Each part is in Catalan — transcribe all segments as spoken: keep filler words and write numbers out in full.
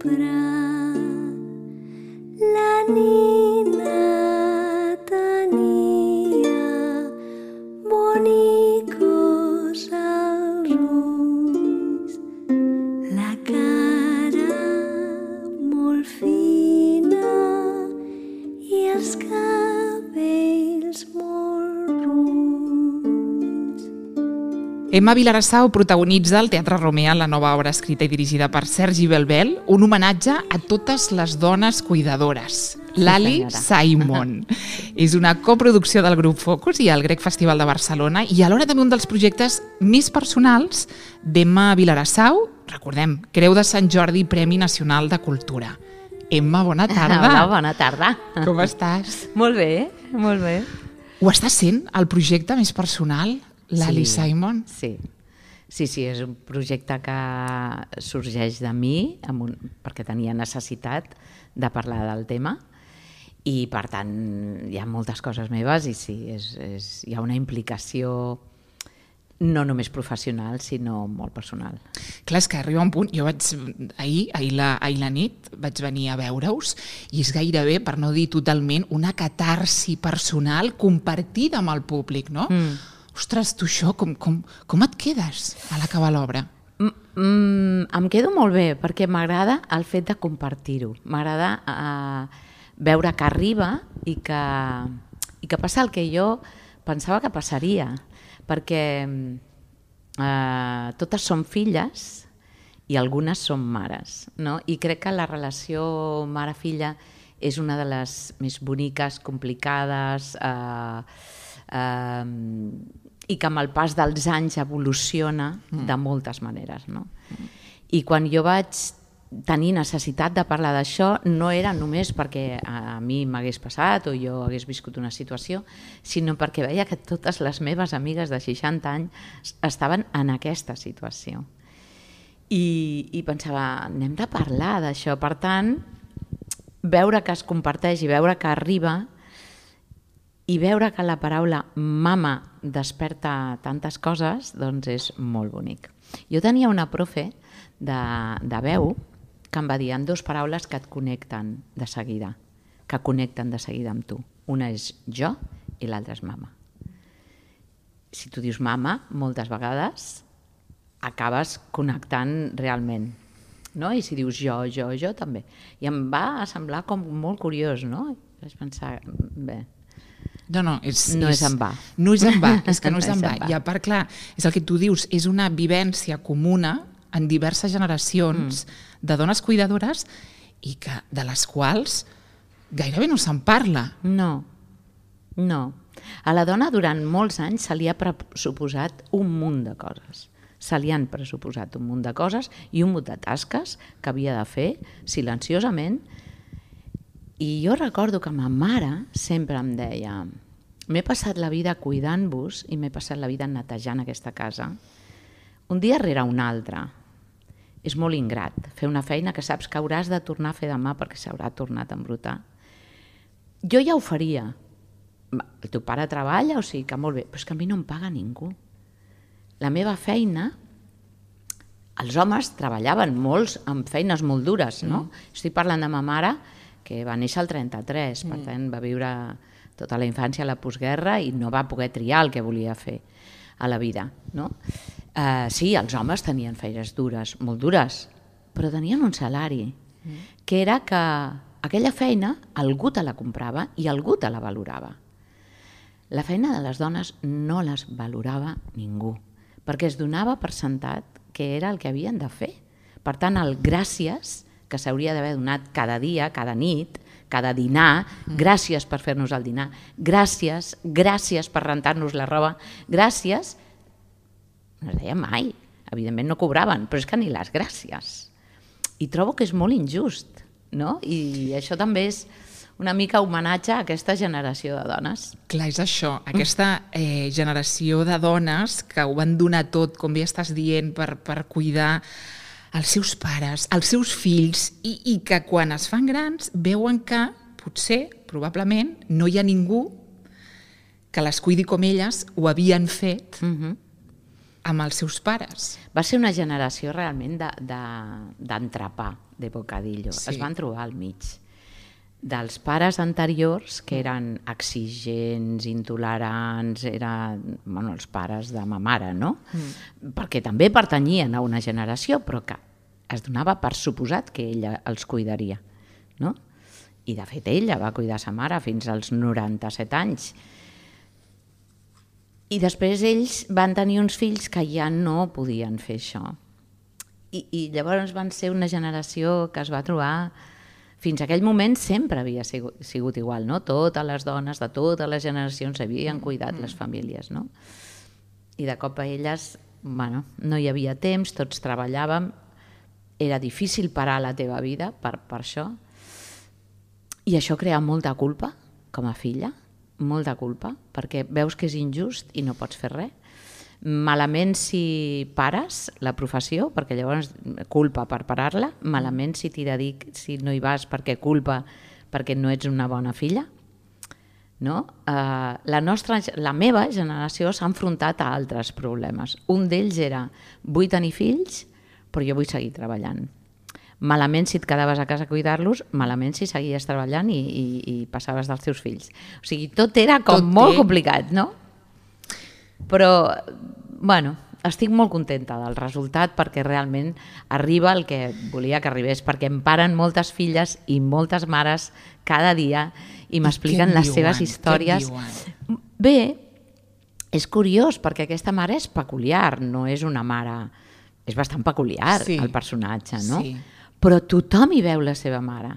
vespre la nina tenia bonicos als ulls, la cara molt fina i els cabells molt runys. Emma Vilarassau protagonitza al Teatre Romea la nova obra escrita i dirigida per Sergi Belbel, un homenatge a totes les dones cuidadores. Lali Simon. És una coproducció del grup Focus i el Grec Festival de Barcelona i alhora també un dels projectes més personals d'Emma Vilarassau, recordem, Creu de Sant Jordi, Premi Nacional de Cultura. Emma, bona tarda. Hola, bona tarda. Com estàs? Molt bé, molt bé. Ho està sent el projecte més personal, Lali Sí, Simon? Sí. Sí, sí, és un projecte que sorgeix de mi amb un, perquè tenia necessitat de parlar del tema i, per tant, hi ha moltes coses meves i sí, és, és, hi ha una implicació no només professional, sinó molt personal. Clar, és que arriba un punt, jo vaig, ahir, ahir, la, ahir la nit vaig venir a veure-us i és gairebé, per no dir totalment, una catarsi personal compartida amb el públic, no? Mm. Ostres, tu això, com, com, com et quedes a l'acabar l'obra? Mm, mm, em quedo molt bé, perquè m'agrada el fet de compartir-ho. M'agrada eh, veure que arriba i que, i que passa el que jo pensava que passaria, perquè eh, totes són filles i algunes són mares, no? I crec que la relació mare-filla és una de les més boniques, complicades, eh, eh, i que amb el pas dels anys evoluciona mm. de moltes maneres, no? Mm. I quan jo vaig tenir necessitat de parlar d'això no era només perquè a mi m'hagués passat o jo hagués viscut una situació, sinó perquè veia que totes les meves amigues de seixanta anys estaven en aquesta situació. I, i pensava, anem de parlar d'això. Per tant, veure que es comparteix i veure que arriba i veure que la paraula mama desperta tantes coses, doncs és molt bonic. Jo tenia una profe de, de veu que em va dir en dues paraules que et connecten de seguida, que connecten de seguida amb tu. Una és jo i l'altra és mama. Si tu dius mama, moltes vegades acabes connectant realment, no? I si dius jo, jo, jo també. I em va semblar com molt curiós, no? Vaig pensar, bé, No, no, és, no és, és en va. No és en va, és que no és No en és va. en va. I a part, clar, és el que tu dius, és una vivència comuna en diverses generacions mm. de dones cuidadores i que, de les quals gairebé no se'n parla. No, no. A la dona durant molts anys se li ha pressuposat un munt de coses. Se li han pressuposat un munt de coses i un munt de tasques que havia de fer silenciosament. I jo recordo que ma mare sempre em deia, m'he passat la vida cuidant-vos i m'he passat la vida netejant aquesta casa, un dia rere un altre. És molt ingrat fer una feina que saps que hauràs de tornar a fer demà perquè s'haurà tornat a embrutar. Jo ja ho faria. El teu pare treballa, o sigui que molt bé, però és que a mi no em paga ningú. La meva feina, els homes treballaven molts amb feines molt dures, no? Mm. Estic parlant de ma mare, que va néixer al trenta-tres, per tant va viure tota la infància a la postguerra i no va poder triar el que volia fer a la vida, no? Uh, sí, els homes tenien feines dures, molt dures, però tenien un salari, mm. que era que aquella feina algú te la comprava i algú te la valorava. La feina de les dones no les valorava ningú, perquè es donava per sentat que era el que havien de fer. Per tant, el gràcies que s'hauria d'haver donat cada dia, cada nit, cada dinar, mm. gràcies per fer-nos el dinar, gràcies, gràcies per rentar-nos la roba, gràcies, no es deia mai, evidentment no cobraven, però és que ni les gràcies. I trobo que és molt injust, no? I això també és una mica homenatge a aquesta generació de dones. Clar, és això, aquesta eh, generació de dones que ho van donar tot, com bé estàs dient, per, per cuidar els seus pares, els seus fills, i, i que quan es fan grans veuen que potser, probablement, no hi ha ningú que les cuidi com elles ho havien fet uh-huh. amb els seus pares. Va ser una generació realment d'entrepà, de, de bocadillo. Sí. Es van trobar al mig dels pares anteriors, que eren exigents, intolerants, eren, bueno, els pares de ma mare, no? Mm. Perquè també pertanyien a una generació, però que es donava per suposat que ella els cuidaria, no? I de fet ella va cuidar sa mare fins als noranta-set anys. I després ells van tenir uns fills que ja no podien fer això. I, i llavors van ser una generació que es va trobar... Fins a aquell moment sempre havia sigut, sigut igual, no? Totes les dones de totes les generacions havien cuidat les famílies, no? I de cop a elles, bueno, no hi havia temps, tots treballàvem, era difícil parar la teva vida per, per això, i això crea molta culpa com a filla, molta culpa, perquè veus que és injust i no pots fer res. Malament si pares la professió, perquè llavors culpa per parar-la, malament si t'hi dediques, si no hi vas perquè culpa, perquè no ets una bona filla. No? Uh, la, nostra, la meva generació s'ha enfrontat a altres problemes. Un d'ells era, vull tenir fills, però jo vull seguir treballant. Malament si et quedaves a casa a cuidar-los, malament si seguies treballant i, i, i passaves dels teus fills. O sigui, tot era com tot molt té... complicat, no? Però, bueno, estic molt contenta del resultat perquè realment arriba el que volia que arribés, perquè em paren moltes filles i moltes mares cada dia i m'expliquen les seves històries. Bé, és curiós perquè aquesta mare és peculiar, no és una mare... És bastant peculiar, sí, el personatge, no? Sí. Però tothom hi veu la seva mare.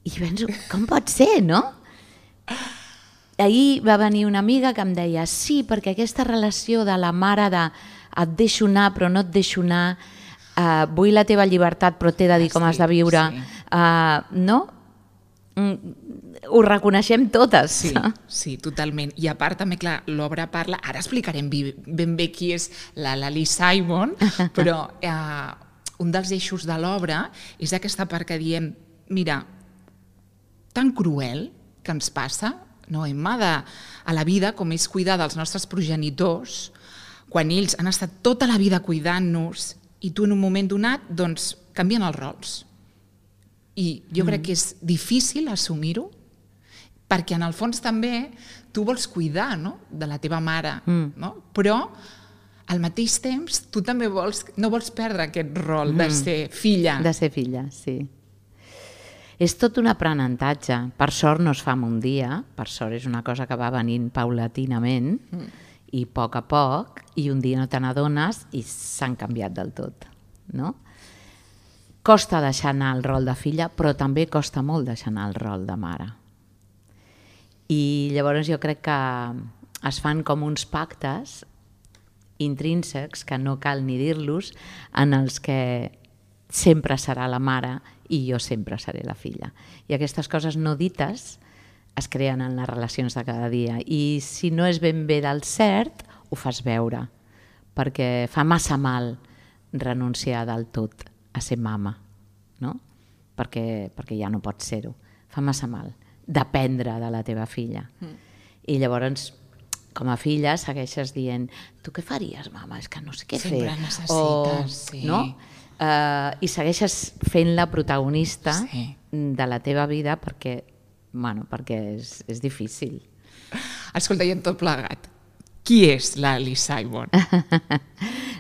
I penso, com pot ser, no? Ahir va venir una amiga que em deia sí, perquè aquesta relació de la mare de et deixo anar però no et deixo anar, uh, vull la teva llibertat però t'he de dir com has de viure, sí. uh, no? Mm, ho reconeixem totes. Sí, sí, totalment. I a part també, clar, l'obra parla, ara explicarem ben bé qui és la Lali Simon, però uh, un dels eixos de l'obra és aquesta part que diem, mira, tan cruel que ens passa, no, Emma, de, a la vida, com és cuidar dels nostres progenitors, quan ells han estat tota la vida cuidant-nos i tu en un moment donat, doncs, canvien els rols. I jo mm. crec que és difícil assumir-ho, perquè en el fons també tu vols cuidar, no?, de la teva mare, mm. no? Però al mateix temps tu també vols, no vols perdre aquest rol mm. de ser filla. De ser filla, sí. És tot un aprenentatge. Per sort no es fa en un dia, per sort és una cosa que va venint paulatinament mm. i a poc a poc, i un dia no te n'adones i s'han canviat del tot, no? Costa deixar anar el rol de filla, però també costa molt deixar anar el rol de mare. I llavors jo crec que es fan com uns pactes intrínsecs, que no cal ni dir-los, en els que sempre serà la mare i jo sempre seré la filla. I aquestes coses no dites es creen en les relacions de cada dia. I si no és ben bé del cert, ho fas veure, perquè fa massa mal renunciar del tot a ser mama, no? Perquè, perquè ja no pots ser-ho. Fa massa mal dependre de la teva filla. Mm. I llavors, com a filla, segueixes dient tu què faries, mama? És que no sé què Sempre fer. Sempre necessites, o, sí. No? Uh, I segueixes fent-la protagonista sí. de la teva vida perquè, bueno, perquè és, és difícil. Escolta, i en tot plegat, qui és Lali Simon?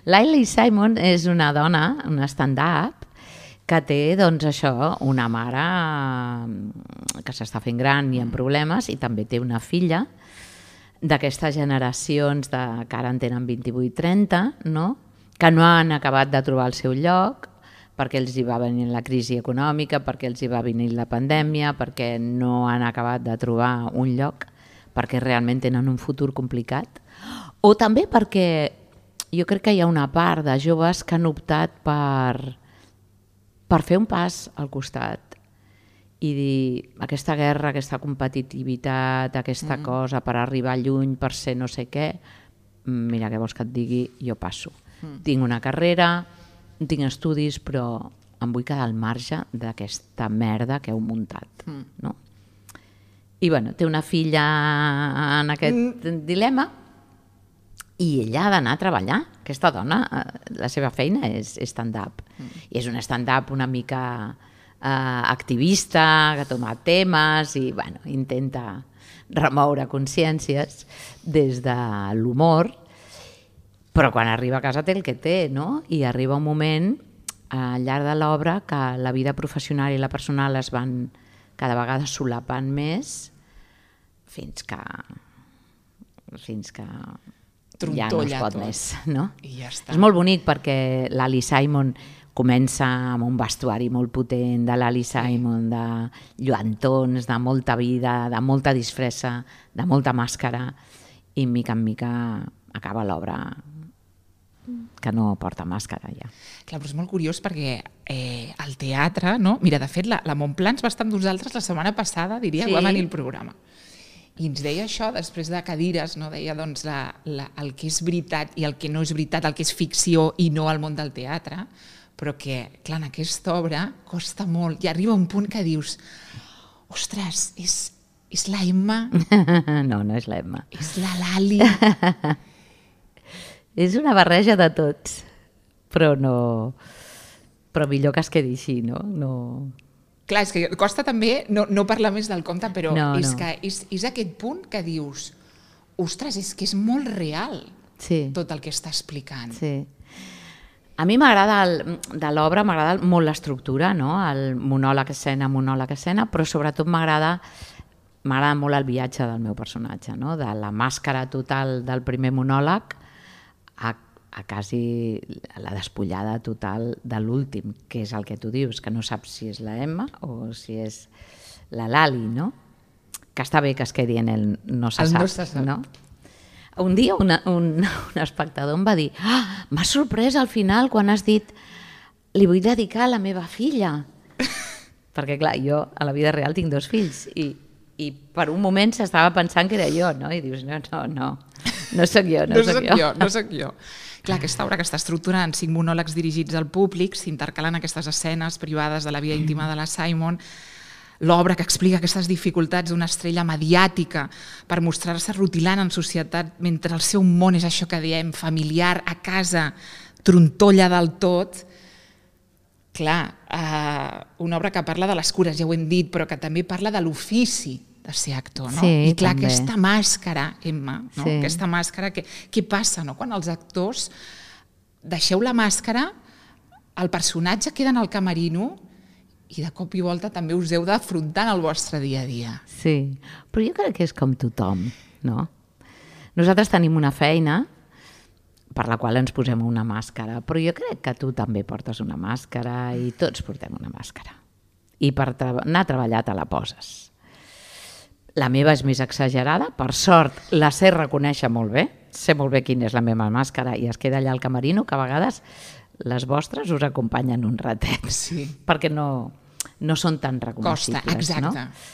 Lali Simon és una dona, una stand-up, que té, doncs, això, una mare que s'està fent gran i amb problemes, i també té una filla d'aquestes generacions de, que ara en tenen vint-i-vuit trenta, no?, que no han acabat de trobar el seu lloc, perquè els hi va venir la crisi econòmica, perquè els hi va venir la pandèmia, perquè no han acabat de trobar un lloc, perquè realment tenen un futur complicat, o també perquè jo crec que hi ha una part de joves que han optat per, per fer un pas al costat i dir aquesta guerra, aquesta competitivitat, aquesta mm. cosa per arribar lluny, per ser no sé què, mira, què vols que et digui, jo passo. Mm. Tinc una carrera, tinc estudis, però em vull quedar al marge d'aquesta merda que heu muntat. Mm. No? I bueno, té una filla en aquest mm. dilema i ella ha d'anar a treballar. aquesta dona, la seva feina és stand-up. Mm. I és un stand-up una mica eh, activista, que toma temes i bueno, intenta remoure consciències des de l'humor, però quan arriba a casa té el que té, no? I arriba un moment al llarg de l'obra que la vida professional i la personal es van cada vegada solapant més fins que fins que ja no es pot més, no? I ja està. És molt bonic perquè l'Ali Simon comença amb un vestuari molt potent de l'Ali Simon, de lluantons, de molta vida, de molta disfressa, de molta màscara, i mica en mica acaba l'obra que no porta màscara ja. Clar, però és molt curiós perquè eh, el teatre, no? Mira, de fet, la, la Montplans va estar amb nosaltres la setmana passada, diria, sí. Va venir el programa. I ens deia això, després de cadires, no? Deia doncs, la, la, el que és veritat i el que no és veritat, el que és ficció i no al món del teatre, però que, clar, en aquesta obra costa molt. I arriba un punt que dius, ostres, és, és la Emma? No, no és la Emma. És la Lali? És una barreja de tots, però no... Però millor que es quedi així, no? No... Clar, és que costa també no, no parlar més del conte, però no, és no. que és, és aquest punt que dius, ostres, és que és molt real sí. tot el que està explicant. Sí. A mi m'agrada, de l'obra, m'agrada molt l'estructura, no? El monòleg escena, monòleg escena, però sobretot m'agrada m'agrada molt el viatge del meu personatge, no? De la màscara total del primer monòleg a a quasi la despullada total de l'últim, que és el que tu dius, que no saps si és la Emma o si és la Lali, no? Que està bé que es quedi en el no se el sap, no se sap. No? Un dia una, un, un espectador em va dir ah, m'ha sorprès al final quan has dit li vull dedicar a la meva filla. Perquè clar, jo a la vida real tinc dos fills i, i per un moment s'estava pensant que era jo, no? I dius, no, no, no, no soc jo, no, no soc soc jo. jo. No soc jo. Clar, aquesta obra que està estructurada en cinc monòlegs dirigits al públic, s'intercalen aquestes escenes privades de la vida íntima de la Simon, l'obra que explica aquestes dificultats d'una estrella mediàtica per mostrar-se rutilant en societat mentre el seu món és això que diem, familiar, a casa, trontolla del tot. Clar, eh, una obra que parla de les cures, ja ho hem dit, però que també parla de l'ofici de ser actor, no? Sí, I clar, també. aquesta màscara, Emma, no? Sí. Aquesta màscara, que, què passa, no? Quan els actors deixeu la màscara, el personatge queda en el camerino i de cop i volta també us heu d'afrontar en el vostre dia a dia. Sí, però jo crec que és com tothom, no? Nosaltres tenim una feina per la qual ens posem una màscara, però jo crec que tu també portes una màscara i tots portem una màscara. I per anar a treballar te la poses. La meva és més exagerada, per sort la sé reconèixer molt bé, sé molt bé quina és la meva màscara i es queda allà al camerino, que a vegades les vostres us acompanyen un ratet, sí. Perquè no, no són tan reconeixibles. Costa, exacte. No?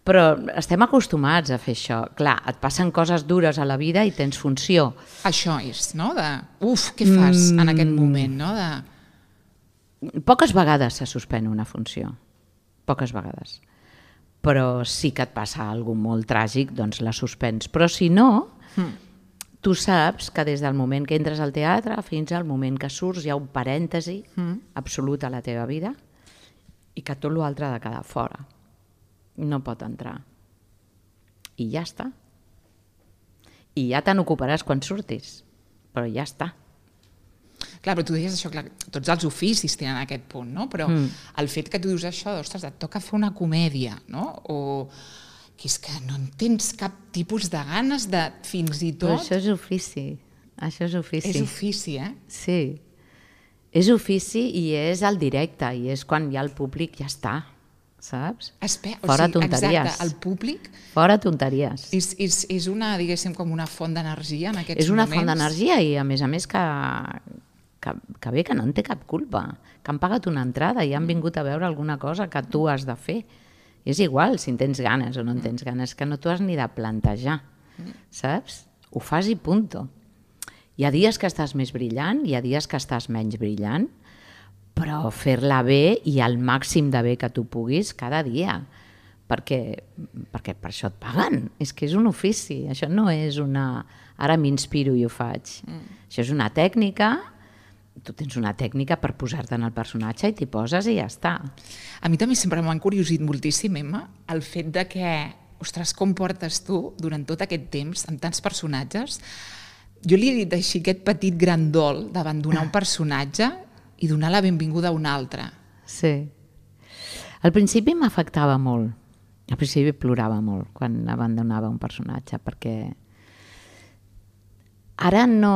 Però estem acostumats a fer això. Clar, et passen coses dures a la vida i tens funció. Això és, no? De, uf, què fas mm. en aquest moment, no? De... Poques vegades se suspèn una funció, poques vegades. Però sí que et passa alguna cosa molt tràgic, doncs la suspens. Però si no, mm. tu saps que des del moment que entres al teatre fins al moment que surts hi ha un parèntesi mm. absolut a la teva vida i que tot l'altre ha de quedar fora. No pot entrar. I ja està. I ja te n'ocuparàs quan surtis, però ja està. Clar, però tu deies això, clar, tots els oficis tenen aquest punt, no? Però mm. el fet que tu dius això, ostres, et toca fer una comèdia, no? O que és que no en tens cap tipus de ganes de, fins i tot... Però això és ofici, això és ofici. És ofici, eh? Sí, és ofici i és el directe, i és quan hi ha el públic, ja està, saps? Espe Fora o sigui, tonteries. Exacte, el públic... Fora tonteries. És, és, és una, diguéssim, com una font d'energia en aquests moments. És una moments. font d'energia i, a més a més, que... Que, que bé, que no en té cap culpa, que han pagat una entrada i han vingut a veure alguna cosa que tu has de fer. És igual si en tens ganes o no en tens ganes, que no t'ho has ni de plantejar, saps? Ho fas i punto. Hi ha dies que estàs més brillant, hi ha dies que estàs menys brillant, però fer-la bé i al màxim de bé que tu puguis cada dia, perquè, perquè per això et paguen. És que és un ofici, això no és una... Ara m'inspiro i ho faig. Mm. Això és una tècnica, tu tens una tècnica per posar-te en el personatge i t'hi poses i ja està. A mi també sempre m'ha encuriosit moltíssim, Emma, el fet de que, ostres, com portes tu durant tot aquest temps amb tants personatges. Jo li he dit així, aquest petit gran dol d'abandonar un personatge i donar la benvinguda a un altre. Sí. Al principi m'afectava molt. Al principi plorava molt quan abandonava un personatge, perquè ara no...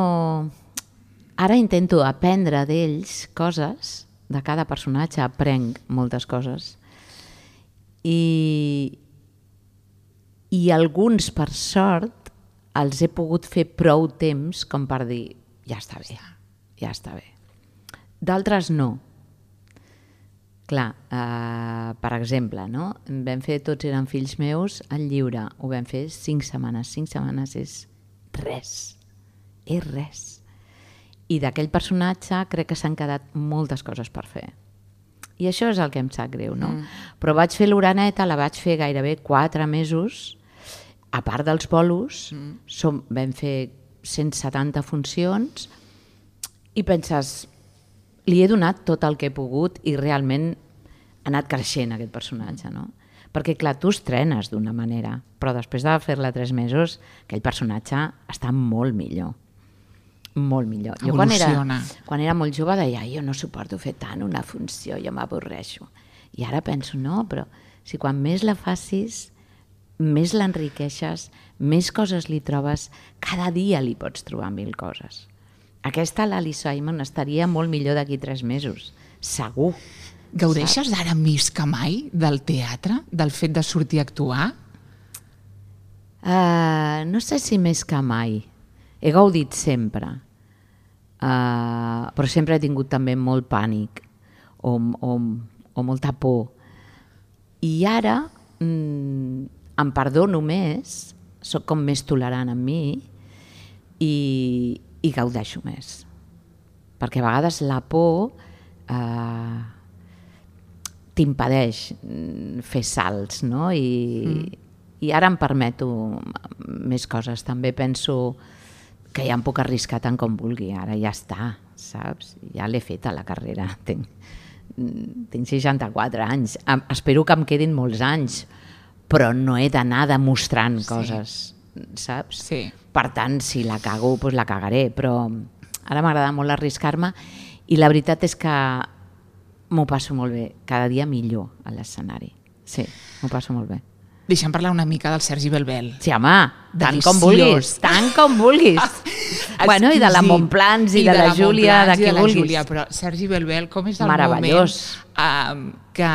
Ara intento aprendre d'ells coses, de cada personatge aprenc moltes coses, i, i alguns, per sort, els he pogut fer prou temps com per dir, ja està bé, ja està bé. D'altres no. Clar, eh, per exemple, no? Vam fer Tots eren fills meus al lliure, ho vam fer cinc setmanes. Cinc setmanes és res, és res. I d'aquell personatge crec que s'han quedat moltes coses per fer. I això és el que em sap greu, no? Mm. Però vaig fer l'Oreneta, la vaig fer gairebé quatre mesos, a part dels bolos, mm. som, vam fer cent setanta funcions, i penses, li he donat tot el que he pogut i realment ha anat creixent aquest personatge, no? Perquè, clar, tu estrenes d'una manera, però després de fer-la tres mesos, aquell personatge està molt millor. Molt millor. Jo quan era, quan era molt jove deia, jo no suporto fer tant una funció, jo m'avorreixo. I ara penso, no, però si quan més la facis, més l'enriqueixes, més coses li trobes, cada dia li pots trobar mil coses. Aquesta, l'Ali Simon, estaria molt millor d'aquí tres mesos, segur. Gaudeixes ara més que mai del teatre, del fet de sortir a actuar? Uh, no sé si més que mai. He gaudit sempre, uh, però sempre he tingut també molt pànic o, o, o molta por. I ara mm, em perdono més, soc com més tolerant amb mi i, i gaudeixo més. Perquè a vegades la por uh, t'impedeix fer salts, no? I, mm. i ara em permeto més coses. També penso que ja em puc arriscar tant com vulgui, ara ja està, saps? Ja l'he fet a la carrera, tinc, tinc seixanta-quatre anys, espero que em quedin molts anys, però no he d'anar demostrant sí. coses, saps? Sí. Per tant, si la cago, doncs la cagaré, però ara m'agrada molt arriscar-me i la veritat és que m'ho passo molt bé, cada dia millor a l'escenari. Sí, m'ho passo molt bé. Deixa'm parlar una mica del Sergi Belbel. Sí, home, tant com vulguis, tant com vulguis. Bueno, i de la Montplans i, I de, de la, la Júlia, de qui vulguis. Júlia, però Sergi Belbel, com és el moment um, que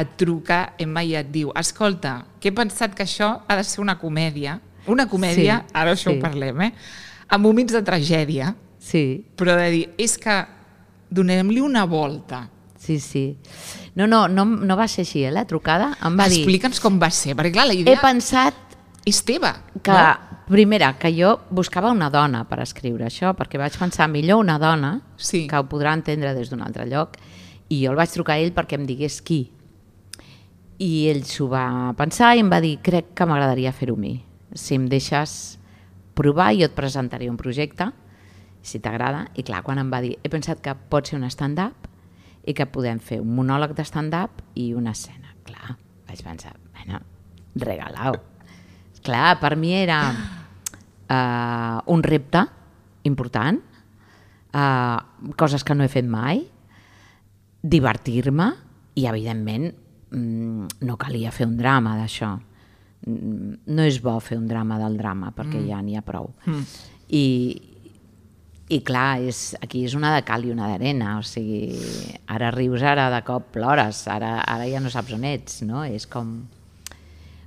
et truca Emma i et diu, escolta, que he pensat que això ha de ser una comèdia, una comèdia, sí, ara això sí. ho parlem, eh? Amb moments de tragèdia, sí. però de dir, és que donem-li una volta. Sí, sí. No, no, no, no va ser així, eh, la trucada. Em va dir... Explica'ns com va ser, perquè clar, la idea... He pensat... És teva, que, no? Primera, que jo buscava una dona per escriure això, perquè vaig pensar millor una dona, sí. que ho podrà entendre des d'un altre lloc, i jo el vaig trucar a ell perquè em digués qui. I ell s'ho va pensar i em va dir, crec que m'agradaria fer-ho a mi. Si em deixes provar, jo et presentaré un projecte, si t'agrada. I clar, quan em va dir, he pensat que pot ser un stand-up, i que podem fer un monòleg de stand-up i una escena. Clar, vaig pensar, bueno, regalau. Clar, per mi era uh, un repte important, uh, coses que no he fet mai, divertir-me i, evidentment, mm, no calia fer un drama d'això. No és bo fer un drama del drama, perquè mm. ja n'hi ha prou. Mm. I... I clar, és, aquí és una de cal i una d'arena, o sigui, ara rius, ara de cop plores, ara, ara ja no saps on ets, no? És com...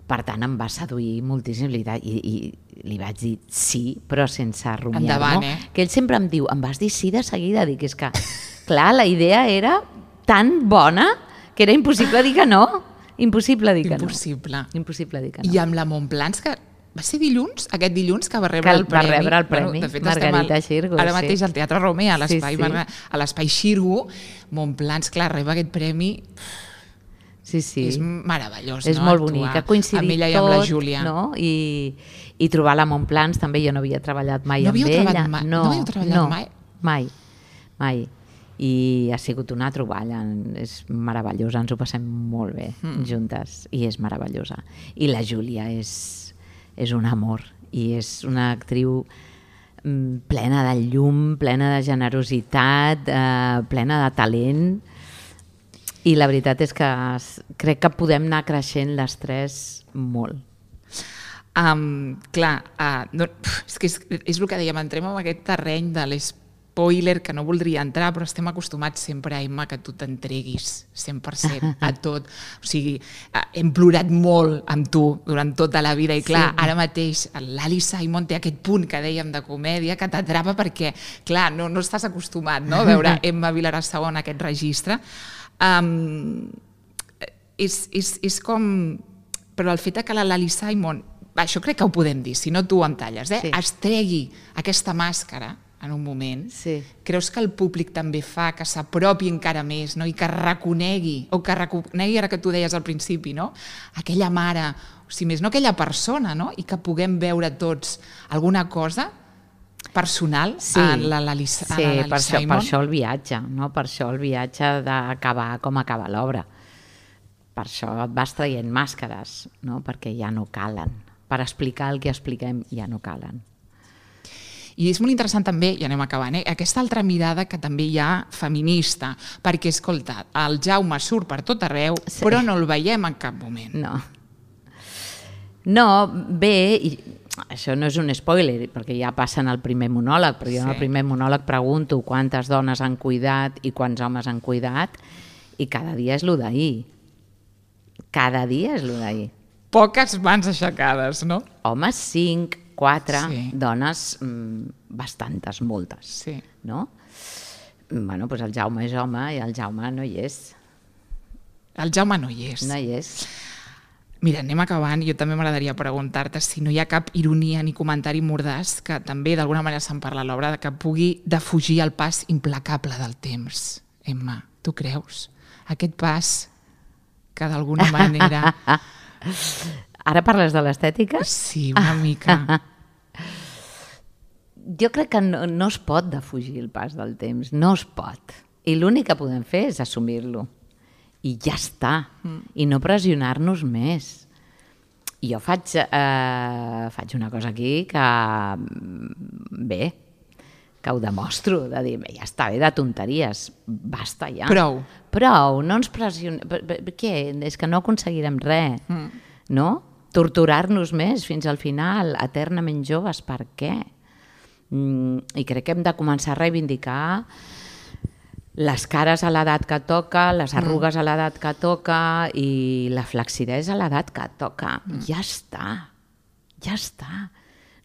Per tant, em va seduir moltíssim i, i li vaig dir sí, però sense rumiar. Endavant, no? eh? Que ell sempre em diu, em vas dir sí de seguida? Dic, és que, clar, la idea era tan bona que era impossible dir que no. Impossible dir que impossible. no. Impossible dir que no. I amb la Montplans, que va ser dilluns, aquest dilluns, que va rebre que el premi. Va rebre el premi, bueno, de fet, Margarita al, Xirgu. Ara mateix sí. al Teatre Romea, a l'espai sí, sí. Xirgu, Montplans, clar, reba aquest premi. Sí, sí. És meravellós, és no? molt Actuar bonic, ha coincidit amb ella i tot, amb la Júlia. no? I, i trobar la Montplans també, jo no havia treballat mai No amb havíeu ella. treballat mai? No havíeu treballat no, mai? mai, mai. I ha sigut una troballa, és meravellosa, ens ho passem molt bé mm. juntes, i és meravellosa. I la Júlia és, és un amor, i és una actriu plena de llum, plena de generositat, eh, plena de talent, i la veritat és que crec que podem anar creixent les tres molt. Um, clar, uh, no, és que és, és el que dèiem, entrem en aquest terreny de l'espoiler que no voldria entrar, però estem acostumats sempre, Emma, que tu t'entreguis cent per cent a tot. O sigui, uh, hem plorat molt amb tu durant tota la vida i clar, sí. Ara mateix l'Ali Simon té aquest punt que dèiem de comèdia que t'atrapa perquè, clar, no, no estàs acostumat, no?, a veure Emma Vilarassau en aquest registre. Um, és, és, és com... Però el fet que la Lali Simon, això crec que ho podem dir, si no tu em talles, eh? Sí. Es tregui aquesta màscara en un moment, sí. Creus que el públic també fa que s'apropi encara més, no? I que reconegui, o que reconegui, ara que tu deies al principi, no? Aquella mare, o si més no aquella persona, no? I que puguem veure tots alguna cosa personal sí. en la Lali sí, Simon. Per això, per això el viatge, no? Per això el viatge d'acabar com acaba l'obra. Per això et vas traient màscares, no? Perquè ja no calen. Per explicar el que expliquem ja no calen. I és molt interessant també, i anem acabant, eh? Aquesta altra mirada que també hi ha feminista, perquè, escolta, el Jaume surt per tot arreu, sí. Però no el veiem en cap moment. No. No, bé, i això no és un spoiler, perquè ja passa en el primer monòleg, però jo sí. En el primer monòleg pregunto quantes dones han cuidat i quants homes han cuidat, i cada dia és lo d'ahir. Cada dia és lo d'ahir. Poques mans aixecades, no? Homes, cinc, quatre, sí. Dones, mmm, bastantes, moltes. Sí. No? Bueno, doncs el Jaume és home i el Jaume no hi és. El Jaume no hi és. No hi és. Mira, anem acabant. Jo també m'agradaria preguntar-te si no hi ha cap ironia ni comentari mordàs, que també d'alguna manera se'n parla a l'obra, que pugui defugir el pas implacable del temps. Emma, tu creus? Aquest pas que d'alguna manera... Ara parles de l'estètica? Sí, una mica. Jo crec que no, no es pot defugir el pas del temps, no es pot. I l'únic que podem fer és assumir-lo. I ja està. Mm. I no pressionar-nos més. I jo faig, eh, faig una cosa aquí que, bé, que ho demostro, de dir, bé, ja està bé de tonteries, basta ja. Prou. Prou, no ens pressionem. Què? És que no aconseguirem res, mm. no? Torturar-nos més fins al final, eternament joves, per què? Mm, I crec que hem de començar a reivindicar les cares a l'edat que toca, les arrugues mm. a l'edat que toca i la flexidesa a l'edat que toca. Mm. Ja està, ja està.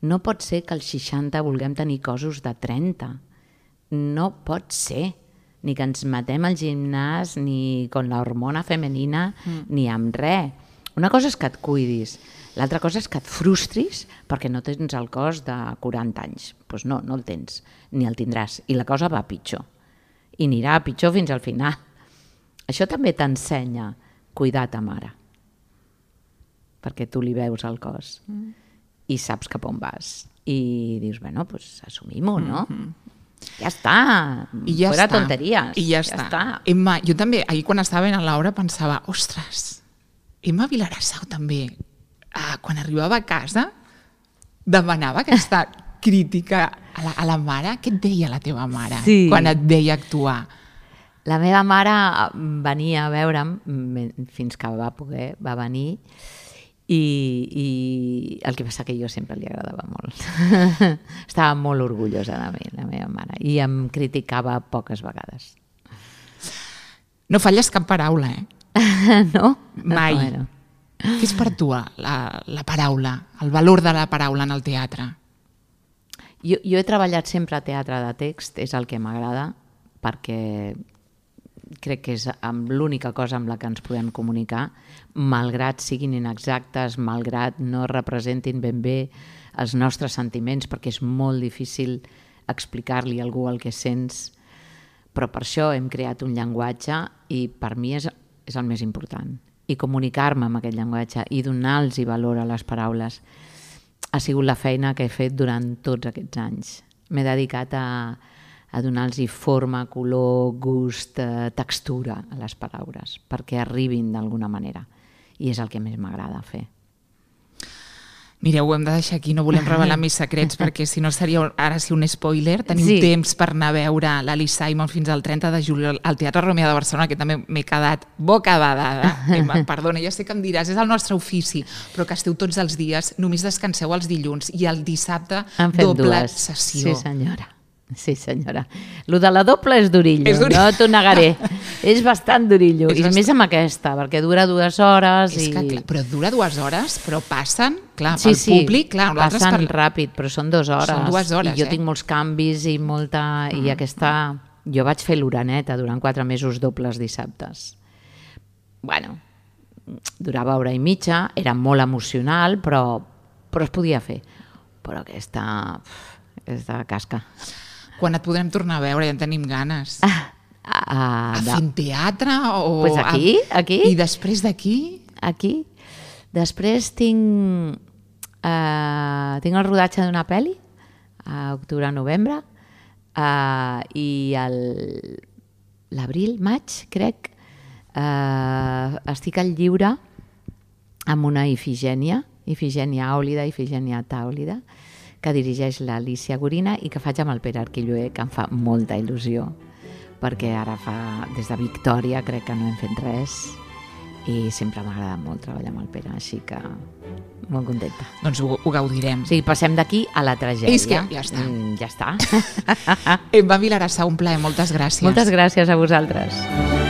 No pot ser que als seixanta vulguem tenir cossos de trenta. No pot ser. Ni que ens matem al gimnàs, ni con la hormona femenina, mm. ni amb res. Una cosa és que et cuidis, l'altra cosa és que et frustris perquè no tens el cos de quaranta anys. Doncs pues no, no el tens, ni el tindràs. I la cosa va a pitjor. I anirà a pitjor fins al final. Això també t'ensenya cuidar ta mare. Perquè tu li veus el cos. Mm. I saps cap on vas. I dius, bueno, pues assumim-ho, no? Mm-hmm. Ja està. I ja Fuera està. Tonteries. I ja, ja està. està. Emma, jo també, ahir quan estava en l'obra pensava, ostres, Emma Vilarassau també, eh, quan arribava a casa, demanava aquesta crítica a la, a la mare. Què et deia la teva mare sí. quan et veia actuar? La meva mare venia a veure'm, fins que va poder, va venir, i, i el que passa que jo sempre li agradava molt. Estava molt orgullosa de mi, la meva mare, i em criticava poques vegades. No falles cap paraula, eh? No? Mai. Bueno. Què és per tu la, la paraula, el valor de la paraula en el teatre? Jo, jo he treballat sempre a teatre de text, és el que m'agrada, perquè crec que és l'única cosa amb la que ens podem comunicar, malgrat siguin inexactes, malgrat no representin ben bé els nostres sentiments, perquè és molt difícil explicar-li a algú el que sents, però per això hem creat un llenguatge i per mi és, és el més important. i comunicar-me amb aquest llenguatge i donar-los valor a les paraules ha sigut la feina que he fet durant tots aquests anys. M'he dedicat a, a donar-los forma, color, gust, eh, textura a les paraules perquè arribin d'alguna manera i és el que més m'agrada fer. Mireu, ho hem de deixar aquí, no volem revelar més secrets perquè si no seria ara sí un spoiler. Tenim sí. temps per anar a veure l'Alice Simon fins al trenta de juliol al Teatre Romea de Barcelona, que també m'he quedat bocabadada. Perdona, ja sé que em diràs, és el nostre ofici, però que esteu tots els dies, només descanseu els dilluns i el dissabte doble dues. sessió. Sí, senyora. Sí, senyora. Lo de la doble és durillo, és durillo. No t'ho negaré. És bastant durillo. És I bastant... més amb aquesta, perquè dura dues hores. És i... que, clar, però dura dues hores, però passen, clar, sí, pel sí, públic, clar. Passen per... ràpid, però són dues hores. Són dues hores, I jo eh? tinc molts canvis i molta... Mm. I aquesta... Jo vaig fer l'oreneta durant quatre mesos dobles dissabtes. Bueno, durava hora i mitja, era molt emocional, però, però es podia fer. Però aquesta... aquesta casca. Quan et podrem tornar a veure? Ja en tenim ganes. Ah, ah, a fent teatre? O pues aquí, a... aquí. I després d'aquí? Aquí. Després tinc, uh, tinc el rodatge d'una pel·li a octubre-novembre uh, i el, l'abril, maig, crec, uh, estic al lliure amb una Ifigènia, Ifigènia Àulida, Ifigènia Tàulida, que dirigeix l'Alicia Gorina i que faig amb el Pere Arquilloé, que em fa molta il·lusió, perquè ara fa, des de Victòria crec que no hem fet res i sempre m'ha agradat molt treballar amb el Pere, així que molt contenta. Doncs ho, ho gaudirem. O sigui, passem d'aquí a la tragèdia. És que ja està. Mm, ja està. Emma Vilagrassa, un plaer, moltes gràcies. Moltes gràcies a vosaltres.